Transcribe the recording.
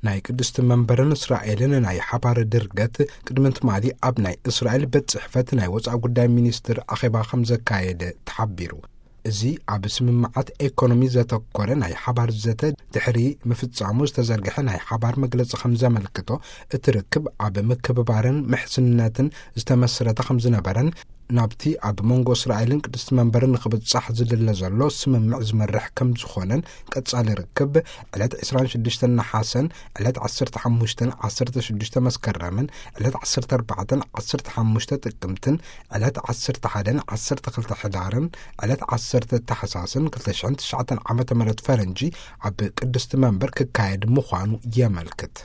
ናይ ቅድስቲ መንበርን እስራኤልን ናይ ሓባር ድርገት ቅድሚ ትማሊ ኣብ ናይ እስራኤል ቤት ጽሕፈት ናይ ወጻኢ ጉዳይ ሚኒስትር ኣኼባ ከም ዘካየደ ተሓቢሩ። እዚ ኣብ ስምምዓት ኤኮኖሚ ዘተኮረ ናይ ሓባር ዘተ ድሕሪ ምፍጻሙ ዝተዘርግሐ ናይ ሓባር መግለጺ ከም ዘመልክቶ፣ እቲ ርክብ ኣብ ምክብባርን ምሕዝነትን ዝተመስረተ ከም ዝነበረን፣ ናብቲ ኣብ መንጎ እስራኤልን ቅድስቲ መንበርን ንክብጻሕ ዝድለ ዘሎ ስምምዕ ዝመርሕ ከም ዝኾነን፣ ቀጻሊ ርክብ ዕለት ዕስራን ሽዱሽተን ነሓሰን፣ ዕለት ዓሰርተ ሓሙሽተን ዓሰርተ ሽዱሽተ መስከረምን፣ ዕለት ዓሰርተ ኣርባዕተን ዓሰርተ ሓሙሽተ ጥቅምትን፣ ዕለት ዓሰርተ ሓደን ዓሰርተ ክልተ ሕዳርን፣ ዕለት ዓሰርተ ታሕሳስን ክልተ ሽሕን ትሽዓተን ዓመተ ምህረት ፈረንጂ ኣብ ቅድስቲ መንበር ክካየድ ምዃኑ የመልክት።